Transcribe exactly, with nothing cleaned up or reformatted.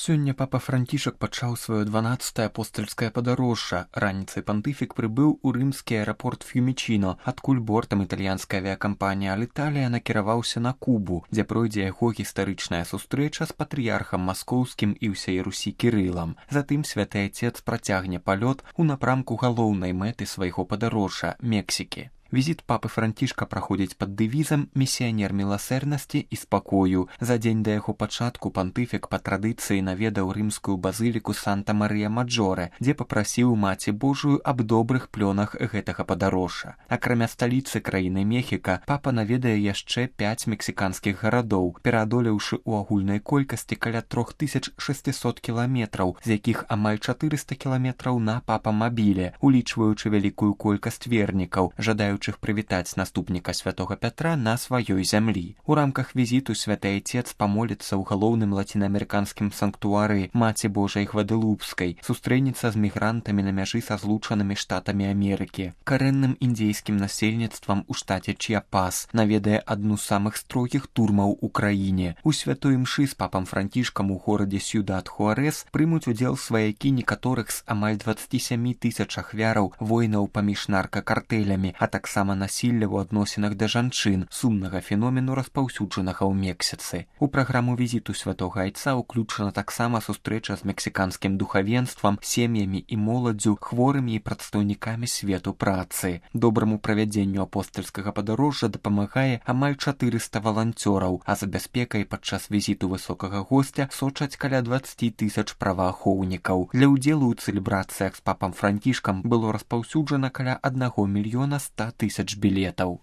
Сёння папа Францішак пачаў сваё дванаццатае апостальскае падарожжа. Раніцай пантыфік прыбыў у рымскі аэрапорт Ф'юмічіно, адкуль бортам італьянская авіякампанія Аліталія накіраваўся на Кубу, дзе пройдзе яго гістарычная сустрэча з патрыярхам маскоўскім і ўсяй Русі Кірылам. Затым святы Айцец працягне палёт у напрамку галоўнай мэты свайго падарожжа – Мексікі. Візіт папы Францішка праходзіць пад дэвізам «Місіянер міласэрнасці і спакою». За дзень да яго пачатку пантыфік па традыцыі наведаў рымскую базыліку Санта-Марыя-Маджоре, дзе папрасіў Маці Божую аб добрых плёнах гэтага падарожжа. Акрамя сталіцы краіны Мехіка, папа наведае яшчэ пяць мексіканскіх гарадоў, пераадолеўшы ў агульнай колькасці каля тры тысячы шэсцьсот кіламетраў, з якіх амаль чатырыста кіламетраў на папамабіле, улічваючы вялікую колькасць вернікаў, жадаючых прывітаць наступніка святога Пятра на сваёй зямлі. У рамках візіту святы Айцец памоліцца ў галоўным лацінаамерыканскім санктуары Маці Божай Гваделупскай, сустрэнецца з мігрантамі на мяжы са злучанымі штатамі Амерыкі, карэнным індзейскім насельніцтвам у штаце Чіапас, наведае адну з самых строгіх турмаў у краіне. У святой імшы з папам Францішкам у горадзе Сьюдад-Хуарэс прымуць удзел сваякі некаторых з амаль дваццаці сямі тысяч ахвяраў войнаў паміж наркакартэлямі, а таксама сама насілля ў адносінах да жанчын, сумнага феномену распаўсюджанага ў Мексіцы. У праграму візіту святога Айца ўключана таксама сустрэча з мексіканскім духавенствам, сем'ямі і моладдзю, хворымі і прадстаўнікамі свету працы. Добраму правядзенню апостальскага падарожжа дапамагае амаль чатырыста валанцёраў, а за бяспекай падчас візіту высокага госця сочаць каля дваццаці тысяч праваахоўнікаў. Для ўдзелу ў цэлебрацыях з папам Францішкам было распаўсюджана каля аднаго мільёна ста тысяч билетаў.